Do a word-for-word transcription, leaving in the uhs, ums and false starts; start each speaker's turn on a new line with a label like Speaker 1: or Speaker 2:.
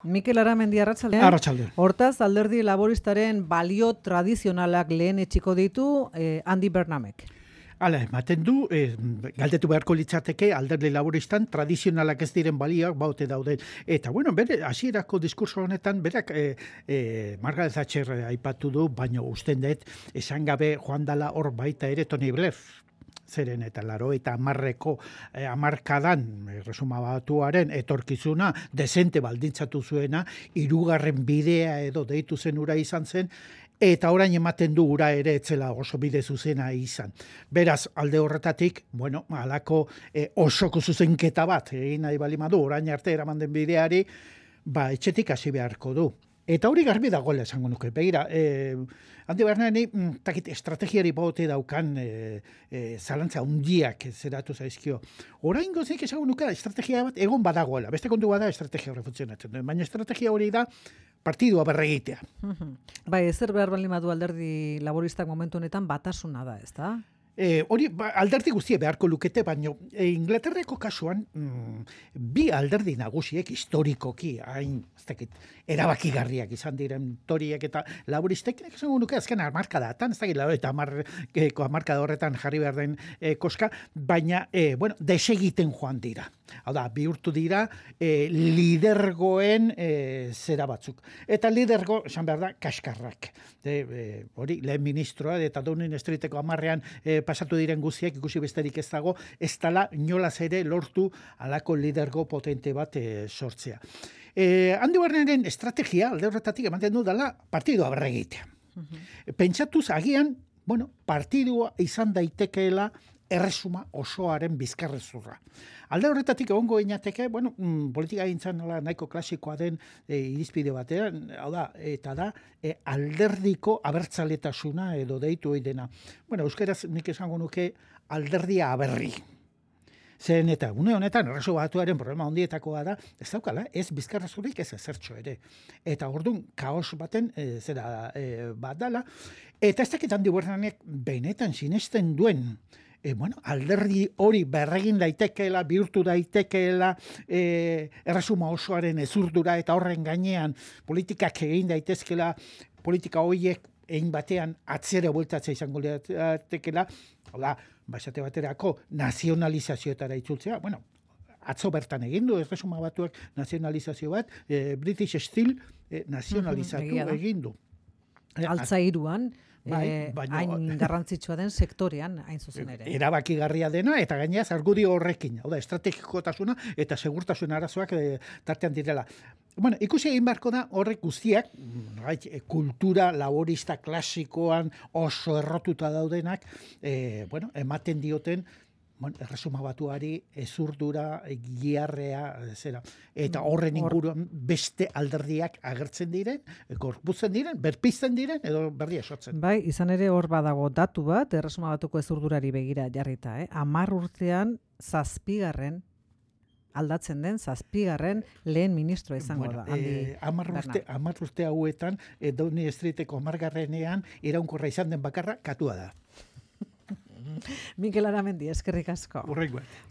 Speaker 1: Mikel Aramendi, arratsaldean.
Speaker 2: Arratsaldean.
Speaker 1: Hortaz, alderdi laboristaren balio tradizionalak lehen etxiko ditu eh, Andy Bernamek.
Speaker 2: Hala, ematen du, eh, galdetu beharko litzateke alderdi laboristan tradizionalak ez diren balioak baute dauden. Eta, bueno, bere, hasierako diskurso honetan, berak eh, eh, Margaret Thatcher aipatu du, baino usten dut, esan gabe joan dala hor baita ere Tony Blair. Zeren eta laro eta amarreko eh, amarkadan eh, resuma batuaren etorkizuna desente baldintzatu zuena, hirugarren bidea edo deitu zen ura izan zen, eta orain ematen du ura ere etzela oso bide zuzena izan. Beraz, alde horretatik, bueno, halako eh, osoko zuzenketa bat, egin nahi balimadu, orain arte eraman den bideari, ba, etxetik hasi beharko du. Eta hori garbi dagoela esango nuke. Begira, eh, handi Bernani, takit estrategiari baute daukan eh, eh, zalantza hundiak zeratu zaizkio. Orain gozik esango nuke estrategia bat egon badagoela. Beste kontu bada estrategia hori funtzionatzen. Baina estrategia hori da partidua berregitea.
Speaker 1: Bai, ezer behar baldin badu alderdi laboristak momentu honetan batasuna da, ez da?
Speaker 2: E, hori ba, alderdi guztie beharko lukete, baina e, Inglaterreko kasuan mm, bi alderdi nagusiek historikoki, hain, ez dakit, erabakigarriak izan diren toriek eta laboristek, esango nuke azken hamarkadatan, ez dakit, eta hamarkada hamarkada horretan jarri behar den e, koska, baina, e, bueno, desegiten joan dira. Hau da, bihurtu dira e, lidergoen e, zera batzuk. Eta lidergo, esan behar da, kaskarrak. De, e, hori, lehen ministroa, eta Downing Streeteko hamarrean e, pasatu diren guziek, ikusi besterik ez dago, ez dala inolaz ere lortu alako lidergo potente bat e, sortzea. E, Andy Berneren estrategia, alde horretatik ematen du dela, partidua berregitea. Uh-huh. Pentsatuz, agian, bueno, partidua izan daitekeela erresuma osoaren bizkarrezurra. Alde horretatik egongo inateke, bueno, mm, politika gintzan nahiko klasikoa den e, irizpide batean, hau da, eta da, e, alderdiko abertzaletasuna edo deitu hori dena. Bueno, euskeraz nik esango nuke alderdia aberri. Zen eta une honetan erresu batuaren problema hondietakoa da, ez daukala, ez bizkarrezurik ez ezertxo ere. Eta orduan kaos baten e, zera e, bat dala, eta ez dakit Andy Bernanek benetan sinesten duen, E, bueno, alderdi hori berregin daitekeela, bihurtu daitekeela, e, erresuma osoaren ezurdura eta horren gainean politikak egin daitezkeela, politika horiek egin batean atzera bueltatzea izango daitekeela, hola, basate baterako nazionalizazioetara itzultzea, bueno, atzo bertan egin du, erresuma batuak nazionalizazio bat, e, British Steel e, nazionalizatu uh-huh, egin du.
Speaker 1: Altzairuan,
Speaker 2: Bai,
Speaker 1: eh,
Speaker 2: baino,
Speaker 1: hain garrantzitsua den sektorean hain zuzen ere.
Speaker 2: Erabakigarria dena eta gainera argudio horrekin, hau da, estrategikotasuna eta segurtasun arazoak e, tartean direla. Bueno, ikusi egin beharko da horrek guztiak, kultura laborista klasikoan oso errotuta daudenak, e, bueno, ematen dioten, bueno, erresuma batuari ezurdura, giarrea, zera. Eta horren inguruan beste alderdiak agertzen diren, gorputzen diren, berpizten diren, edo berria sortzen.
Speaker 1: Bai, izan ere hor badago datu bat, erresuma batuko ezurdurari begira jarrita, eh? Amar urtean zazpigarren aldatzen den zazpigarren lehen ministro izango
Speaker 2: bueno,
Speaker 1: da.
Speaker 2: Eh, amar, urte, amar urte hauetan, eh, Downing Streeteko amargarrenean iraunkorra izan den bakarra katua da.
Speaker 1: Mikel Aramendi, eskerrik asko.
Speaker 2: Horrengoa.